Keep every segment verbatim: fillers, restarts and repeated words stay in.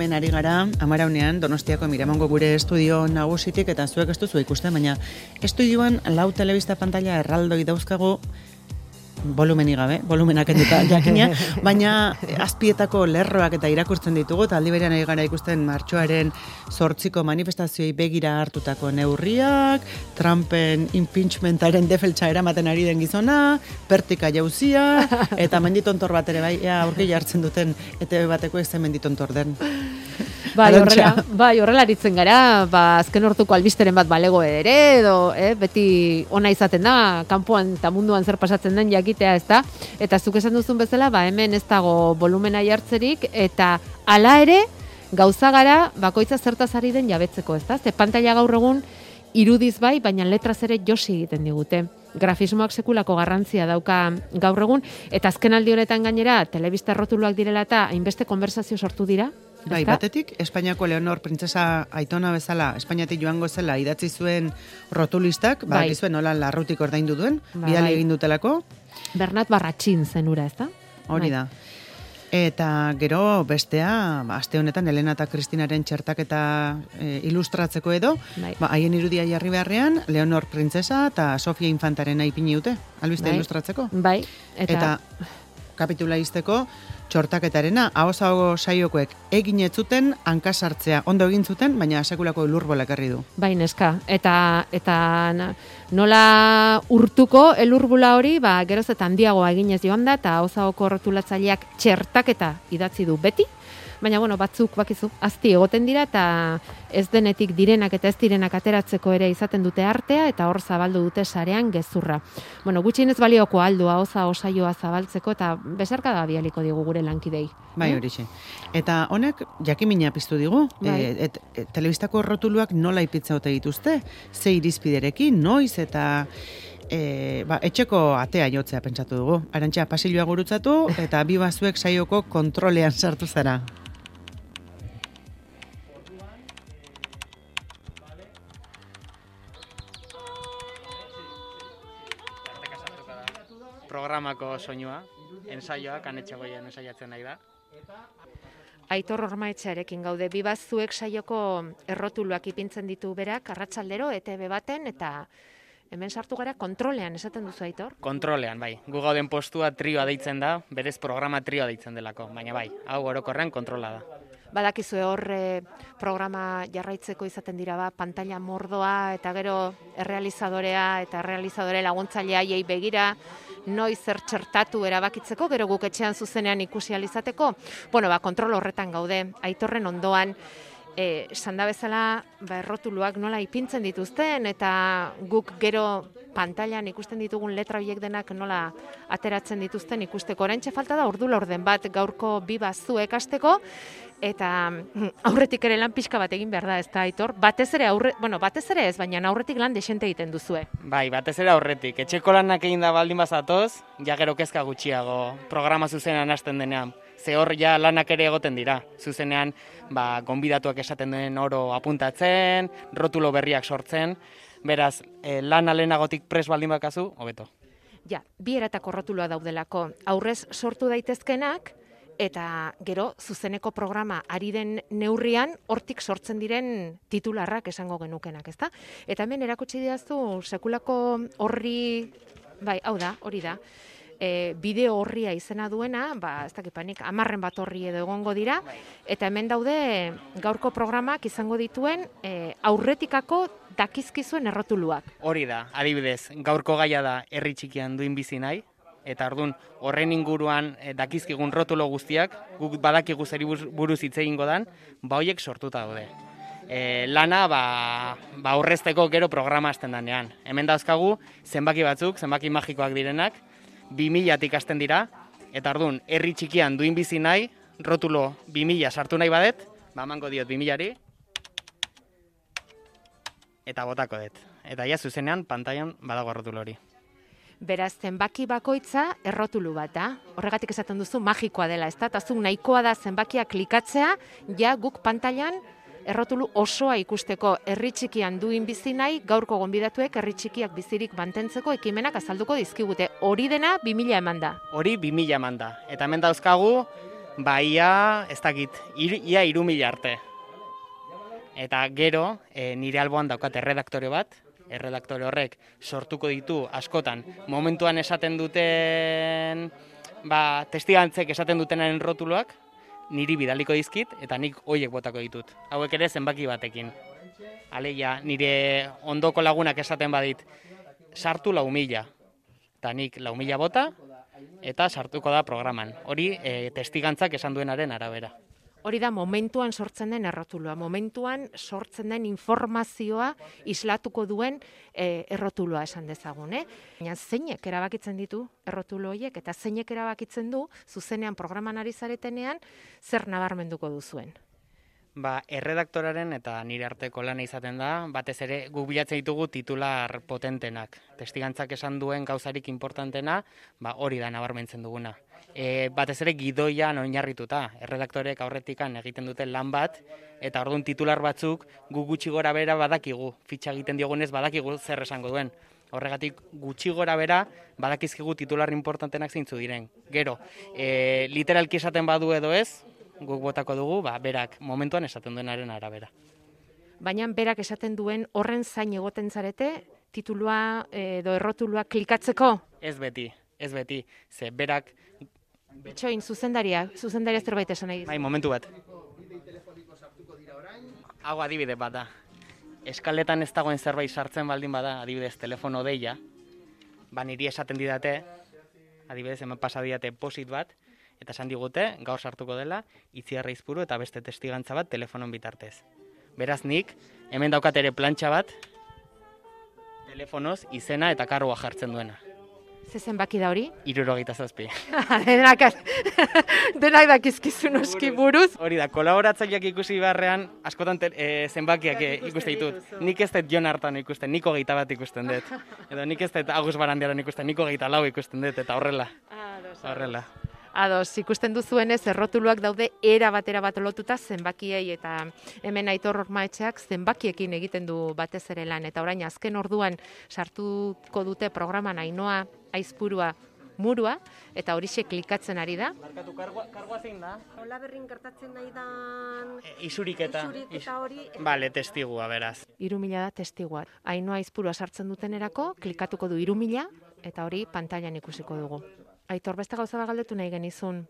Ben ari gara, amaraunean, Donostiako Miramongo gure estudio nagusitik, eta zuek ez duzu ikusten, baina estudioan lau telebista pantalla erraldoi dauzkagu, volumeni gabe, volumenak enduta jakina, baina azpietako lerroak eta irakurtzen ditugu, eta aldi berean ari gara ikusten martxoaren zortziko manifestazioei begira hartutako neurriak, Trumpen impeachmentaren defeltsa eramaten ari den gizona, pertika jauzia, eta menditontor bat ere bai, ea aurki jartzen duten, E T B bateko ez zen menditontor den. Bai, horrela, bai, horrela aritzen gara, ba, azken hortuko albisteren bat balego ere, edo, eh, beti ona izaten da, kanpoan eta munduan zer pasatzen den jakitea, ez da? Eta zuk esan duzun bezala, ba, hemen ez dago volumena jartzerik, eta hala ere, gauza gara, bakoitza zertaz ari den jabetzeko, ez da? Ze pantalla gaur egun, irudiz bai, baina letraz ere josi egiten digute. Grafismoak sekulako garrantzia dauka gaur egun, eta azken aldi honetan gainera, telebista errotuluak direla eta hainbeste konversazio sortu dira. Bai, batetik, Espainiako Leonor printzesa Aitona bezala, Espainiatik joango zela idatzi zuen rotulistak, bai. Badakizuen nola larrutik ordaindu duen, ba, bidali bai. Egin dutelako. Bernat Barratxin zenura, ez da? Hori bai. Da. Eta gero bestea, ba, aste honetan Elena eta Kristinaren txertaketa e, ilustratzeko edo, bai. Ba, haien irudia jarri beharrean, Leonor printzesa eta Sofia Infantaren aipini dute, albiste bai. Ilustratzeko. Bai, eta... eta kapitula izteko, txortaketarena, ahoz-aho saiokoek egin ez zuten, hankasartzea ondo egin zuten, baina sekulako elurbola ekarri du. Bai, neska, eta, eta nola urtuko elurbula hori, ba, geroz eta handiagoa eginez joan da, eta ahoz-ahoko rotulatzaileak txertaketa idatzi du beti, baina, bueno, batzuk, bakizu, azti egoten dira, eta ez denetik direnak eta ez direnak ateratzeko ere izaten dute artea, eta hor zabaldu dute sarean gezurra. Bueno, gutxienez balioko aldua, oza, osaioa zabaltzeko, eta besarka da bialiko digu gure lankidei. Bai, horixe. Eta honek, jakimina piztu digu, bai. e, et, et, telebistako rotuluak nola ipitza ote dituzte, ze irizpiderekin, noiz, eta... E, ba, etxeko atea jotzea pentsatu dugu. Arantxa, pasilloa gurutzatu, eta bi bazuek saioko kontrolean sartu zara. Programako soinua, ensaioa, kanetxagoien ensaiatzen nahi da. Aitor Ormaetxearekin gaude, bibazuek saioko errotuluak ipintzen ditu berak, arratsaldero, E T B baten, eta hemen sartu gara kontrolean, esaten duzu, Aitor? Kontrolean, bai. Gu gauden postua trioa deitzen da, berez programa trioa deitzen delako, baina bai, hau orokorrean kontrola da. Badakizue hor eh, programa jarraitzeko izaten dira ba, pantalla mordoa eta gero errealizadorea eta errealizadore laguntzailea haiei begira, noiz zer txertatu erabakitzeko, gero guk etxean zuzenean ikusi ahal izateko. Bueno, ba, kontrol horretan gaude, Aitorren ondoan, eh, sanda bezala ba, errotuluak nola ipintzen dituzten, eta guk gero pantailan ikusten ditugun letra horiek denak nola ateratzen dituzten ikusteko. Oraintxe falta da ordu laurden bat gaurko bi bazuek hasteko, eta aurretik ere lan pixka bat egin behar da, ez da, Aitor? Batez ere, aurre, bueno, batez ere ez, baina aurretik lan desente egiten duzue. Bai, batez ere aurretik. Etxeko lanak egin da baldin bazatoz, ja gero kezka gutxiago programa zuzenean hasten denean. Ze hor ja lanak ere egoten dira. Zuzenean, ba, gonbidatuak esaten den oro apuntatzen, rotulo berriak sortzen, beraz, eh, lan alenagotik pres baldin bakazu, hobeto. Ja, bi eratako rotuloa daudelako. Aurrez sortu daitezkenak, eta gero zuzeneko programa ari den neurrian hortik sortzen diren titularrak esango genukenak, ezta? Eta hemen erakutsi didazu sekulako horri, bai, hau da, hori da, e, bideo horria izena duena, ba, ez dakipanik, amarren bat horri edo egongo dira, eta hemen daude gaurko programak izango dituen e, aurretikako dakizkizuen errotuluak. Hori da, adibidez, gaurko gaia da herri txikian duin bizi nahi, eta ordun horren inguruan e, dakizkigun rotulo guztiak, guk badakigu zeri buruz hitz egingo dan, ba hoiek sortuta daude. E, lana ba, ba aurrezteko gero programa hasten danean. Hemen dauzkagu zenbaki batzuk, zenbaki magikoak direnak, bi milatik hasten dira, eta ordun herri txikian duin bizi nahi, rotulo bi mila sartu nahi badet, ba emango diot bi milari, eta botako dut. Eta ja zuzenean pantailan badago rotulo hori. Beraz, zenbaki bakoitza errotulu bat da. Horregatik esaten duzu magikoa dela, ezta? Eta zuk nahikoa da zenbakia klikatzea, ja guk pantailan errotulu osoa ikusteko. Herri txikian duin bizi nahi, gaurko gonbidatuek herri txikiak bizirik mantentzeko ekimenak azalduko dizkigute. Hori dena bi mila eman da. Hori bi mila eman da. Eta hemen dauzkagu Ba, ia, ez dakit, ir, ia iru mila arte. Eta gero, e, nire alboan daukat erredaktore bat, erredaktore horrek sortuko ditu askotan, momentuan esaten duten, ba, testigantzek esaten dutenaren rotuloak, niri bidaliko dizkit, eta nik hoiek botako ditut. Hauek ere zenbaki batekin. Aleia, nire ondoko lagunak esaten badit, sartu lau mila. Eta nik lau mila bota, eta sartuko da programan. Hori e, testigantzak esan duenaren arabera. Hori da momentuan sortzen den errotuloa, momentuan sortzen den informazioa islatuko duen e, errotuloa esan dezagun. Eh? Baina zeinek erabakitzen ditu errotulo horiek eta zeinek erabakitzen du zuzenean programan ari zaretenean zer nabarmenduko duzuen. Ba, erredaktoraren eta nire arteko lana izaten da, batez ere guk bilatzen ditugu titular potentenak. Testigantzak esan duen gauzarik importantena, ba, hori da nabarmentzen duguna. E, batez ere gidoian oinarrituta, erredaktorek aurretikan egiten duten lan bat, eta orduan titular batzuk gu gutxi gora bera badakigu, fitxa egiten diogunez badakigu zer esango duen. Horregatik gutxi gora bera badakizkigu titular importantenak zeintzu diren. Gero, e, literalki esaten badu edo ez, guk botako dugu, ba, berak momentuan esaten duenaren arabera. Baina berak esaten duen horren zain egoten zarete, titulua edo errotulua klikatzeko? Ez beti, ez beti, ze berak... Bitxoin, zuzendaria, zuzendaria zerbait esan nahi. Bai, momentu bat. Hau adibide bat da. Eskaletan ez dagoen zerbait sartzen baldin bada, adibidez telefono deia, ba niri esaten didate, adibidez hemen pasa didate posit bat, eta esan digute, gaur sartuko dela, Itziarra Izpuru eta beste testigantza bat telefonon bitartez. Beraz nik, hemen daukat ere plantxa bat, telefonoz izena eta karroa jartzen duena. Ze zenbaki da hori? Hirurogeita zazpi. Denak, denak dakizkizu noski buruz. Hori da, kolaboratzaileak ikusi beharrean, askotan te, e, zenbakiak ikusten ditut. Nik ez dut Jon Hartan ikusten, nik hogeita bat ikusten dut. Edo nik ez dut Agus Barandiaran ikusten, nik hogeita lau ikusten dut, eta horrela. Horrela. Ados, ikusten duzuenez, errotuluak daude era batera bat lotuta zenbakiei eta hemen Aitor Ormaetxeak zenbakiekin egiten du batez ere lan. Eta orain azken orduan sartuko dute programan Ainoa Aizpurua Murua, eta horixe klikatzen ari da. Markatu, kargoa, kargoa zein da? Hola berrin gertatzen nahi da... E, isuriketa. Isuriketa hori... Bale, testigua, beraz. Hiru mila da testigua. Ainoa Aizpurua sartzen dutenerako, klikatuko du hiru mila, eta hori pantailan ikusiko dugu. Aitor, beste gauza bat galdetu nahi genizun.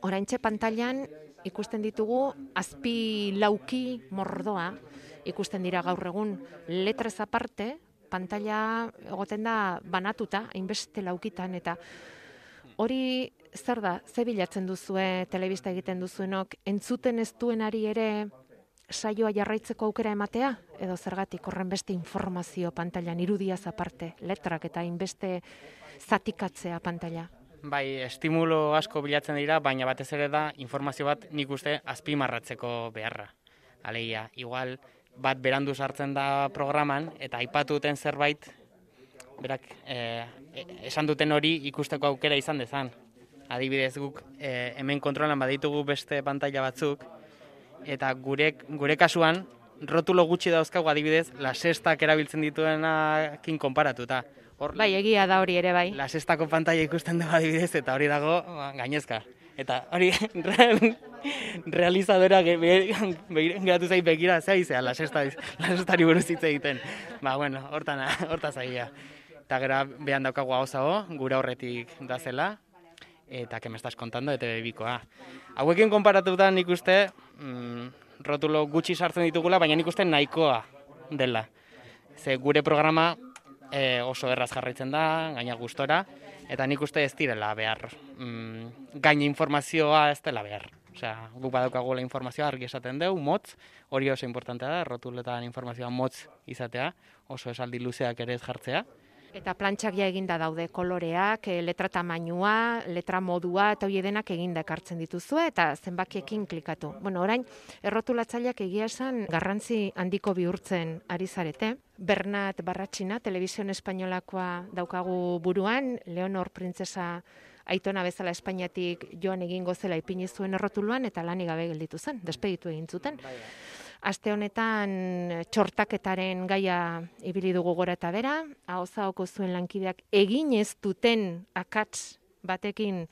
Oraintxe pantailan ikusten ditugu azpi lauki mordoa, ikusten dira gaur egun letrez aparte, pantaila egoten da banatuta, hainbeste laukitan, eta hori zer da, ze bilatzen duzue, telebista egiten duzuenok, entzuten ez duenari ere saioa jarraitzeko aukera ematea, edo zergatik horren beste informazio pantailan, irudiaz aparte, letrak eta hainbeste zatikatzea pantaila. Bai, estimulo asko bilatzen dira, baina batez ere da informazio bat nik uste azpimarratzeko beharra. Alegia, igual bat berandu sartzen da programan eta aipatu duten zerbait, berak eh, esan duten hori ikusteko aukera izan dezan. Adibidez guk eh, hemen kontrolan baditugu beste pantaila batzuk, eta gure, gure kasuan rotulo gutxi dauzkagu adibidez La Sextak erabiltzen dituenakin konparatuta. Hor, bai, egia da hori ere bai. La Sextako pantaila ikusten dugu adibidez, eta hori dago gainezka. Eta hori real, realizadora geratu zait begira, zea izea, La Sextari buruz hitz egiten. Ba, bueno, hortan, hortaz agia. Eta gero behan daukagu hau zago, gure horretik da zela, eta que me estás contando, eta bebikoa. Hauekin konparatuta nik uste, mm, rotulo gutxi sartzen ditugula, baina nik uste nahikoa dela. Ze gure programa e, oso erraz jarraitzen da, gaina gustora, eta nik uste ez direla behar. Mm, gaina informazioa ez dela behar. Osea, guk badaukagula informazioa argi esaten dugu, motz, hori oso importantea da, rotuletan informazioa motz izatea, oso esaldi luzeak ere ez jartzea. Eta plantxak ja eginda daude koloreak, letra tamainua, letra modua, eta hori denak eginda ekartzen dituzue, eta zenbakiekin klikatu. Bueno, orain, errotulatzaileak egia esan garrantzi handiko bihurtzen ari zarete. Bernat Barratxina, Telebizion Espainolakoa daukagu buruan, Leonor Printzesa aitona bezala Espainiatik joan egingo zela ipini zuen errotuluan, eta lanik gabe gelditu zen, despeditu egin zuten. Aste honetan txortaketaren gaia ibili dugu gora eta bera, ahozahoko zuen lankideak egin ez duten akats batekin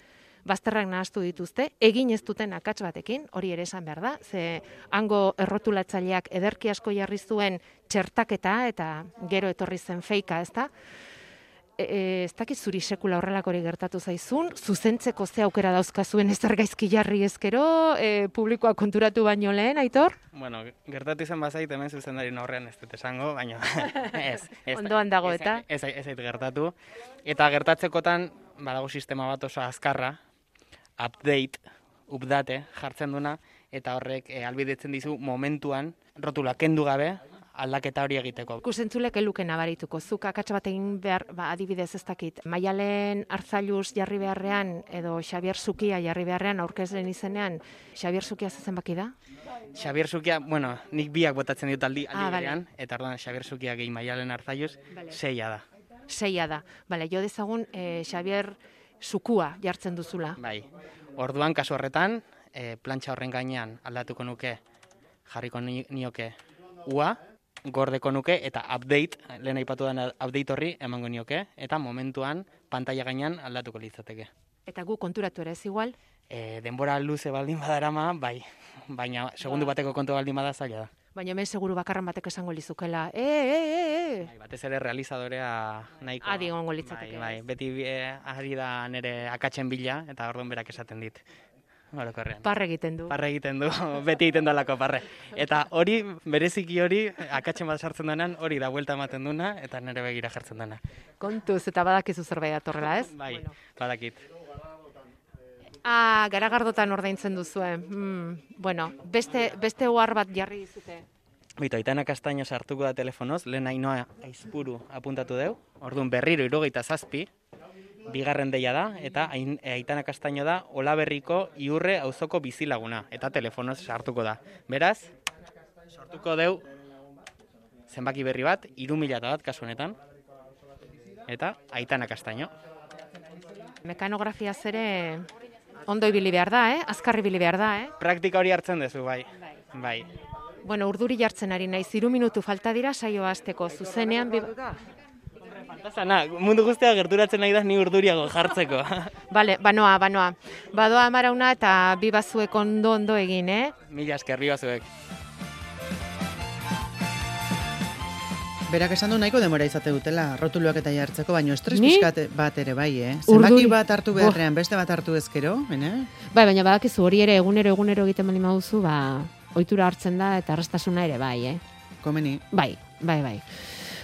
bazterrak nahastu dituzte, egin ez duten akats batekin, hori ere esan behar da, ze hango errotulatzaileak ederki asko jarri zuen txertaketa eta gero etorri zen feika, ez da? E, ez dakit zuri sekula horrelakori gertatu zaizun, zuzentzeko ze aukera dauzkazuen ezer gaizki jarri ezkero, e, publikoa konturatu baino lehen, Aitor? Bueno, gertatu izan bazait hemen zuzendari aurrean ez dut esango, baina ez. ez Ondoan dago eta? Ez ez ez gertatu. Eta gertatzekotan, badago sistema bat oso azkarra, update, update jartzen duna, eta horrek e, albidetzen dizu momentuan, rotula kendu gabe, aldaketa hori egiteko. Ikusentzulek eluke nabarituko. Zuk akats bat egin behar, ba, adibidez ez dakit, Maialen Arzailuz jarri beharrean, edo Xabier Zukia jarri beharrean, aurkezlen izenean, Xabier Zukia zezen baki da? Xabier Zukia, bueno, nik biak botatzen ditut aldi, aldi Ah, berean, eta orduan Xabier Zukia gehi Maialen Arzailuz, Vale. seia da. Seia da. Bale, jo dezagun eh, Xabier Zukua jartzen duzula. Bai. Orduan, kasu horretan, e, plantxa horren gainean aldatuko nuke, jarriko ni, nioke ua, gordeko nuke, eta update, lehen aipatu den update horri emango nioke, eta momentuan pantalla gainean aldatuko litzateke. Eta gu konturatu ere ez igual? E, denbora luze baldin badarama, bai, baina segundu bateko kontu baldin bada zaila da. Baina hemen seguru bakarran batek esango lizukela, e, e, e, e. Bai, batez ere realizadorea nahiko. Adi egongo litzateke. Bai, bai, beti e, ari da nire akatzen bila, eta orduan berak esaten dit. Orokorrean. Parre egiten du. Parre egiten du, beti egiten dalako parre. Eta hori, bereziki hori, akatzen bat sartzen denan, hori da buelta ematen duna, eta nire begira jartzen dena. Kontuz, eta badakizu zerbait datorrela, ez? Bai, Bueno. badakit. Ah, garagardotan ordaintzen duzue. Mm, bueno, beste, beste ohar bat jarri dizute. Bito, Aitana Kastaino sartuko da telefonoz, lehen Ainoa Aizpuru apuntatu deu, orduan berriro hirurogeita zazpi, bigarren deia da, eta Ain- Aitana Kastaino da Olaberriko Iurre auzoko bizilaguna, eta telefonoz sartuko da. Beraz, sortuko deu zenbaki berri bat, hiru mila bat kasu honetan, eta Aitana Kastaino. Mekanografia zere ondo ibili behar da, eh? Azkarri ibili behar da, eh? Praktika hori hartzen duzu, bai. Bai. Bueno, urduri jartzen ari naiz, hiru minutu falta dira saioa hasteko zuzenean. Bi... Zana, mundu guztia gerturatzen nahi da ni urduriago jartzeko. Bale, banoa, banoa. Badoa Amarauna eta bi bazuek ondo ondo egin, eh? Mila esker, bi bazuek. Berak esan du nahiko demora izate dutela, rotuluak eta jartzeko, baina estres Ni? pixkat bat ere bai, eh? Zenbaki Urduri. bat hartu beharrean, beste bat hartu ezkero, bene? Bai, baina badakizu hori ere egunero egunero egiten bali maduzu, ba, ohitura hartzen da eta erraztasuna ere bai, eh? Komeni. Bai, bai, bai.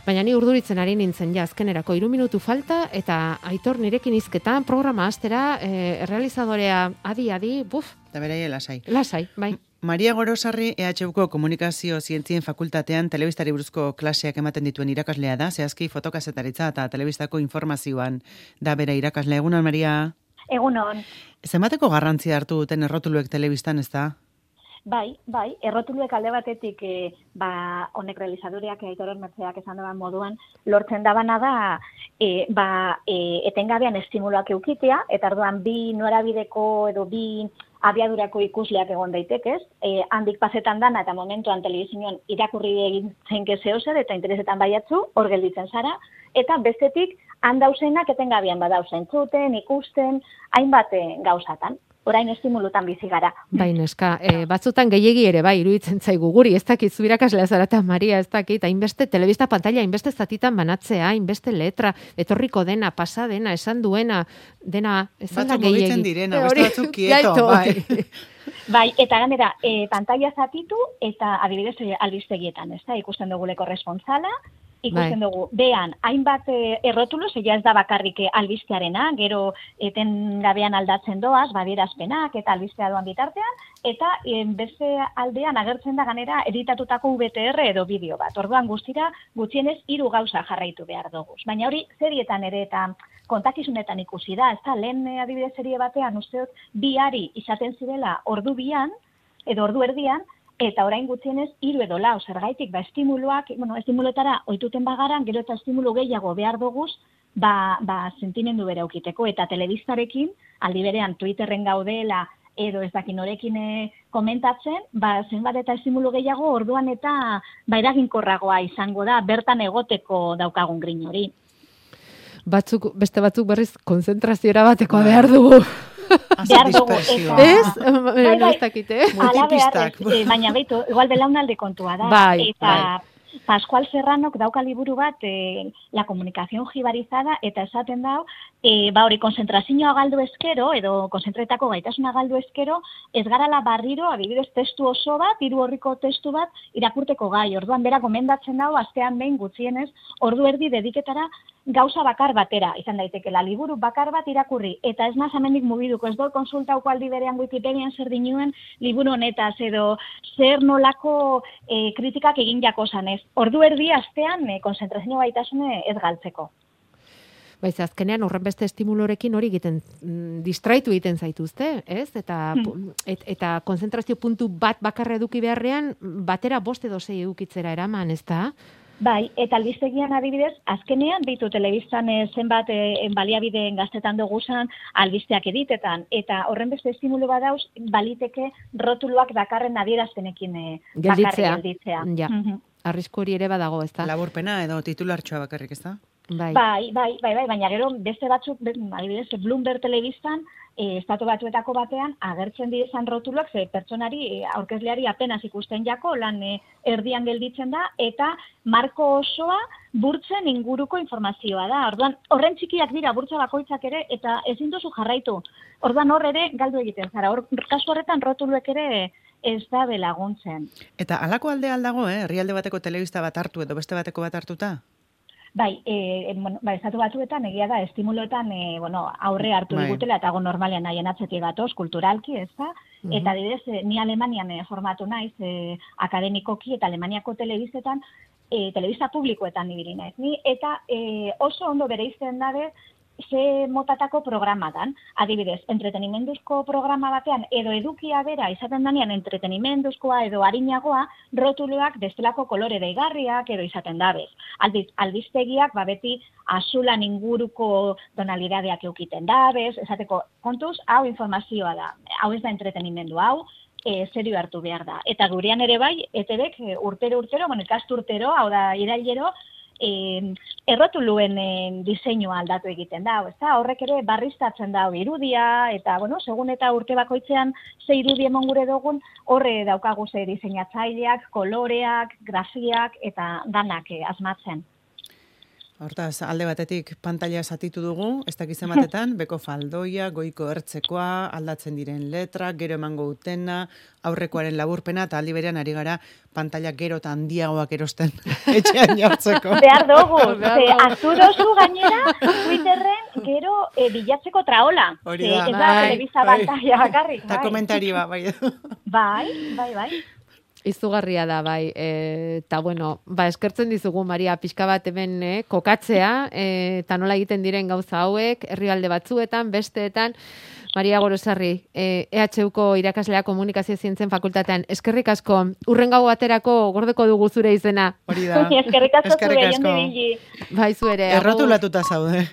Baina ni urduritzen ari nintzen ja azkenerako hiru minutu falta eta Aitor nirekin hizketan programa hastera e, errealizadorea adi-adi, buf, Eta beraie lasai. lasai, bai. Maria Gorosarri E H Uko Komunikazio Zientzien Fakultatean telebistari buruzko klaseak ematen dituen irakaslea da, zehazki fotokazetaritza eta telebistako informazioan da bera irakasle. Egunon, Maria? Egunon. Zenbateko garrantzia hartu duten errotuluek telebistan, ez da? Bai, bai, errotuluek alde batetik e, ba, honek realizadoreak Aitor Mertzeak esan daban moduan, lortzen dabana da e, ba, e, etengabean estimuloak eukitea, eta orduan bi norabideko edo bi abiadurako ikusleak egon daitekez, e, handik pasetan dana eta momentuan telebizioan irakurri egin zeinke zehozer eta interesetan baiatzu, hor gelditzen zara, eta bestetik handauzenak etengabean badauzen zuten, ikusten, hainbat e, gauzatan. Orain estimulutan bizi gara. Bai, neska, e, batzutan gehiegi ere bai iruditzen zaigu guri, ez dakit zu irakaslea zara eta Maria, ez dakit, hainbeste telebista pantalla, hainbeste zatitan banatzea, hainbeste letra, etorriko dena, pasa dena, esan duena, dena, ez da Batzuk gehiegi. mugitzen direna, E, beste hori, batzuk kieto, jaito, bai. Bai, eta ganera, e, pantalla zatitu eta adibidez e, albistegietan, ez da, ikusten dugu korrespontsala, ikusten Bai. dugu, behan, hainbat e, errotulo, zeia ez da bakarrik e, albistearena, gero eten gabean aldatzen doaz, badierazpenak eta albistea doan bitartean, eta e, beste aldean agertzen da ganera editatutako V T R edo bideo bat. Orduan guztira gutxienez hiru gauza jarraitu behar dugu. Baina hori serietan ere eta kontakizunetan ikusi da, ez da, lehen e, adibidez serie batean usteot bi ari izaten zirela ordu bian, edo ordu erdian, eta orain gutxienez hiru edo lau, zergaitik, ba, estimuloak, bueno, estimuloetara ohituten bagaran, gero eta estimulo gehiago behar doguz, ba, ba, sentimendu bere aukiteko, eta telebistarekin, aldi berean Twitterren gaudela, edo ez dakin norekin e, komentatzen, ba, zenbat eta estimulo gehiago, orduan eta ba, eraginkorragoa izango da, bertan egoteko daukagun grin hori. Batzuk, beste batzuk berriz konzentraziora batekoa behar dugu. behar dugu. Eta, Ez? bai, bai. Ez dakite. Ala behar, Multipistak. eh, baina beitu, igual belaunalde kontua da. Bai, eta Pascual Serranok dauka liburu bat, eh, La comunicación jibarizada, eta esaten dau, eh, ba hori konzentrazioa galdu eskero, edo konzentretako gaitasuna galdu eskero, ez garala barriro, adibidez testu oso bat, hiru orriko testu bat, irakurteko gai. Orduan bera gomendatzen dau, astean behin gutxienez, ordu erdi dediketara gauza bakar batera, izan daitekeela liburu bakar bat irakurri, eta ez naz amendik mugiduko, ez dut konsultauko aldi berean Wikipedian zer dinuen liburu honetaz, edo zer nolako e, kritikak egin jako zanez. Ordu erdi astean e, konzentrazio gaitasune ez galtzeko. Baiz, azkenean horrenbeste estimulorekin hori egiten, mm, distraitu egiten zaituzte, ez? Eta, Hmm. et, eta konzentrazio puntu bat bakarra eduki beharrean, batera bost edo sei edukitzera eraman, ez da? Bai, eta albistegian adibidez, azkenean bitu telebistan e, zenbat e, baliabideen gaztetan duguzan albisteak editetan, eta horren beste estimulo badauz, baliteke rotuluak dakarren adierazpenekin e, bakarrik Gelditzea. gelditzea. Ja. Mhm. Arrisku hori ere badago, ez da? Laburpena edo titulartxoa bakarrik, ez da? Bai. Bai, bai, bai, bai, baina gero beste batzuk, be- adibidez, Bloomberg telebistan, e, estatu batuetako batean, agertzen direzan rotuluak, ze pertsonari, e, aurkezleari apenas ikusten jako, lan e, erdian gelditzen da, eta marko osoa burtzen inguruko informazioa da. Orduan, horren txikiak dira burtsa bakoitzak ere, eta ezin duzu jarraitu. Orduan hor ere galdu egiten zara. Hor, kasu horretan rotuluek ere ez da belaguntzen. Eta halako alde aldago, eh? Herrialde bateko telebista bat hartu edo beste bateko bat hartuta? Bai, e, bueno, bai, estatu batuetan egia da, estimuloetan e, bueno, aurre hartu Bai. digutela, eta go normalean nahien atzetik gatoz, kulturalki, ez da? Eta adibidez, e, ni Alemanian e, formatu naiz, e, akademikoki eta Alemaniako telebistetan, e, telebista publikoetan ibili naiz. Ni, eta e, oso ondo bereizten dabe, ze motatako programa dan. Adibidez, entretenimenduzko programa batean, edo edukia bera, izaten danean entretenimenduzkoa edo harinagoa, rotuloak bestelako kolore deigarriak edo izaten dabez. Aldiz, albiztegiak, ba beti azulan inguruko tonalidadeak eukiten dabez, esateko, kontuz, hau informazioa da, hau ez da entretenimendu hau, e, serio hartu behar da. Eta gurean ere bai, E T Bek e, urtero urtero, bueno, ikasturtero, hau da irailero, E, errotuluen e, diseinua aldatu egiten da, ezta? Horrek ere barriztatzen da irudia, eta, bueno, segun eta urte bakoitzean ze irudi emon gure dugun, horre daukagu ze diseinatzaileak, koloreak, grafiak, eta danak e, asmatzen. Hortaz, alde batetik pantalla zatitu dugu, ez dakizen batetan, beko faldoia, goiko ertzekoa, aldatzen diren letrak, gero emango utena, aurrekoaren laburpena, eta aldi berean ari gara pantalla gero eta handiagoak erosten etxean jartzeko. Behar dugu, Behar ze dugu. hartu dozu gainera, Twitterren gero e, bilatzeko traola. Hori Ze da. ez da Bai, telebista bai. pantalla bakarrik. Eta bai. komentarioa, bai. Bai, bai, bai. Izugarria da, bai. E, eta, bueno, ba, eskertzen dizugu, Maria, pixka bat hemen eh, kokatzea, e, eta nola egiten diren gauza hauek, herrialde batzuetan, besteetan. Maria Gorosarri, e, E H Uko irakaslea komunikazio zientzen fakultatean, eskerrik asko, urrengo baterako gordeko dugu zure izena. Hori da. Eskerrik asko Eskerrik zure asko. jondi bili. Bai, zu ere. agur. Errotulatuta zaude.